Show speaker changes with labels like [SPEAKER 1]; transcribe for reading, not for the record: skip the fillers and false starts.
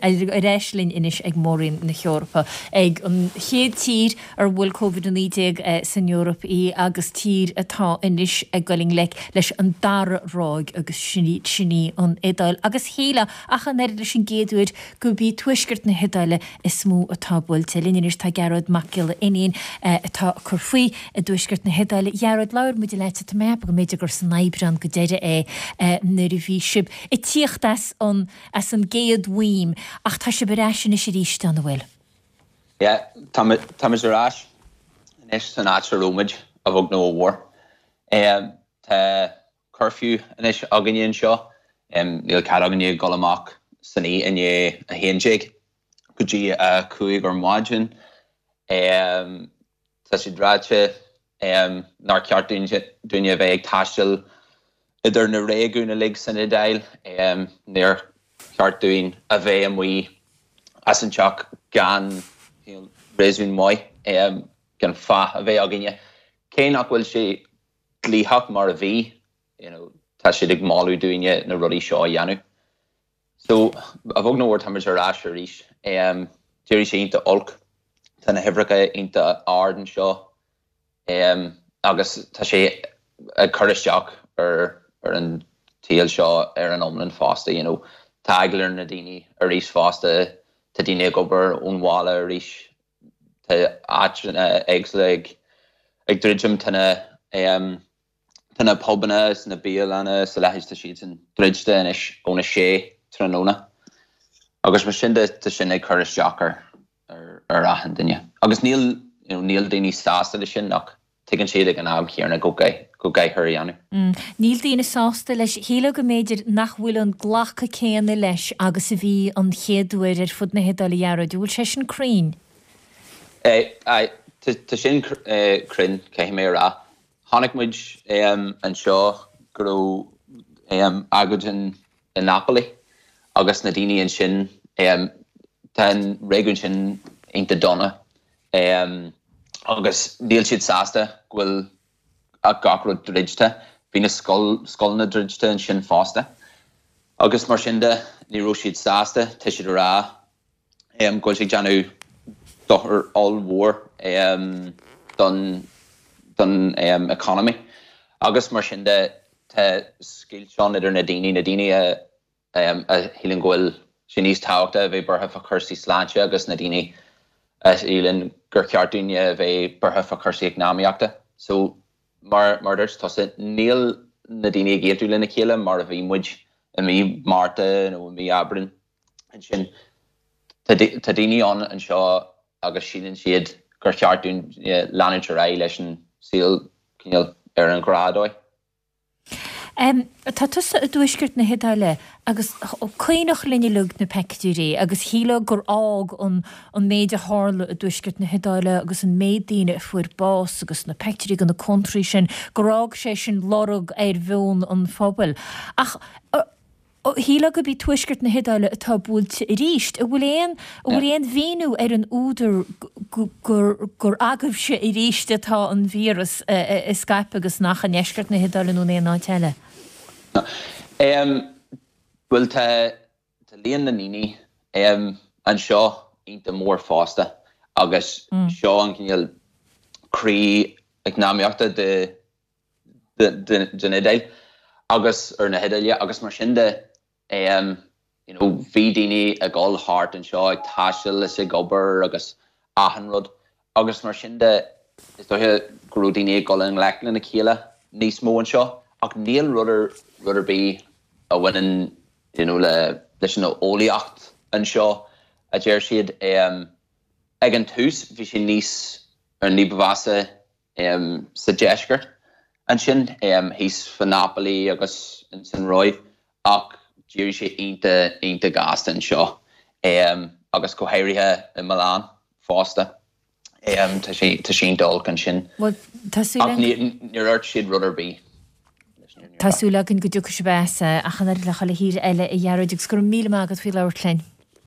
[SPEAKER 1] Ar ais linn anois ag Mór-Roinn na hEorpa, ag an chéad tír ar bhuail Covid-19 san Eoraip í agus tír atá anois ag goil i ngleic leis an dara ráig agus sin í an Iodáil. Agus shílfeá, ach an oiread leis an gcéad uair, gurb í tuaisceart na hIodáile is mó atá buailte. Linn anois tá Gearóid Mac Giolla Fhiniain atá ag cur faoi i dtuaisceart na hIodáile. A Ghearóid, labhair muid leat, tá mé ag ceapadh go mb'fhéidir gur san Aibreán go deireadh é nuair a bhí sibh ag tíocht as an as an gcéad bhuím, ach tá sibh ar ais anois arís, an bhfuil?
[SPEAKER 2] Yeah, táimid ar ais anois san áit a raibh muid, a bheag nó a mhór. Tá curfew anois againne anseo, níl cead againne dul amach san oíche i ndiaidh 11 go dtí 5 ar maidin. Tá siad ráite nár cheart dúinne a bheith ag taisteal idir na réigiúin uilig san Iodáil. Níor cheart dúinn a bheith amuigh as an teach gan réasún maith, gan fáth a bheith againne. Cé nach bhfuil sé dlítheach mar a bhí, tá siad ag moladh dúinne na rudaí seo a dhéanamh. So, a bheag nó a mhór, táimid ar ais arís. D'éirigh sé iontach olc. Tá na huimhreacha iontach ard anseo agus tá sé ag cur isteach ar ar an tsaol seo ar an iomlán fosta, you know. Tá eagla ar na daoine arís fosta. Tá daoine ag obair ón bhaile arís. Tá áiteanna éagsúla ag ag druidim. Tá na Tá na pubanna is na bialanna is a leithéid, tá siadsan druidte anois óna sé tráthnóna agus mar sin de tá sin ag cur isteach ar ar achan duine. Agus níl, you know, níl daoine sásta leis sin ach tuigeann siad ag an am chéanna go go gcaithfear a dhéanamh.
[SPEAKER 1] Níl daoine sásta leis. Shílfeá go mb'fhéidir nach bhfuil an glacadh céanna leis agus a bhí an chéad uair ar fud na hIodáile, a Ghearóid. An bhfuil sé sin cruinn?
[SPEAKER 2] Aye, tá sin cruinn, caithfidh mé a rá. Chonaic muid anseo go raibh agóid i Napoli agus na daoine ansin, tá an réigiún sin iontach dona agus níl siad sásta go bhfuil gach rud druidte. Bhí na scoileanna druidte ansin fosta agus mar sin de ní raibh siad sásta, tá siad ag rá go bhfuil sé ag déanamh dochar ollmhór don don economy agus mar sin de tá scoilt ann idir na daoine, na daoine a a shíleann go bhfuil sé níos tábhachtaí a bheith buartha fá chúrsaí sláinte agus na daoine a shíleann gur cheart dúinne a bheith buartha fá chúrsaí eacnamaíochta. So mar mar a dúirt tusa, níl na daoine ag aontú lena chéile mar a bhí muid i mí Márta nó i mí Aibreáin. Ansin, tá daoine ann anseo agus síleann siad gur cheart dúinn leanúint ar aghaidh leis an saol cineál ar an ghnáthdhóigh.
[SPEAKER 1] Tá tusa i dtuaisceart na hIodáile agus cuimhneach linn uilig na peictiúirí agus shílfeá gur fhág an an méid a tharla i dtuaisceart na hIodáile agus an méid daoine a fuair bás agus na peictiúirí de na contráí sin, gur fhág sé sin lorg ar mheon an phobail. Ach Shílfeá gurb í tuaisceart na hIodáile atá buailte arís. An bhfuil aon, an bhfuil aon mhíniú ar an údar gur, gur agaibhse arís atá an víreas ag scaipeadh agus nach i ndeisceart na hIodáile nó in aon áit eile?
[SPEAKER 2] Bhuel, tá, tá líon na ndaoine anseo iontach mór fosta agus seo an cineál croí eacnamaíochta de, den Iodáil agus ar na hIodáile agus mar sin de you know bhí daoine ag dul thart anseo ag taisteal is ag obair agus achan rud agus mar sin de is dóiche go raibh daoine ag dul i ngleic lena chéile níos mó anseo ach níl rud ar rud ar bith a bhaineann you know le leis an eolaíocht anseo a deir siad ag an tús bhí sé níos ní ba mheasa sa deisceart ansin, thíos fá Napoli agus ins an Róimh, ach d'éirigh sé iontach, iontach gasta anseo agus go háirithe i Milan fosta. Tá sé, tá sé iontach olc ansin.
[SPEAKER 1] Bhuel, tá súil
[SPEAKER 2] Ach níor dhúirt siad rud ar bith.
[SPEAKER 1] Tá súil againn go dtiocfaidh sibh as, ach an oiread le chuile thír eile, a Ghearóid, agus go raibh míle maith agat faoi labhairt linn.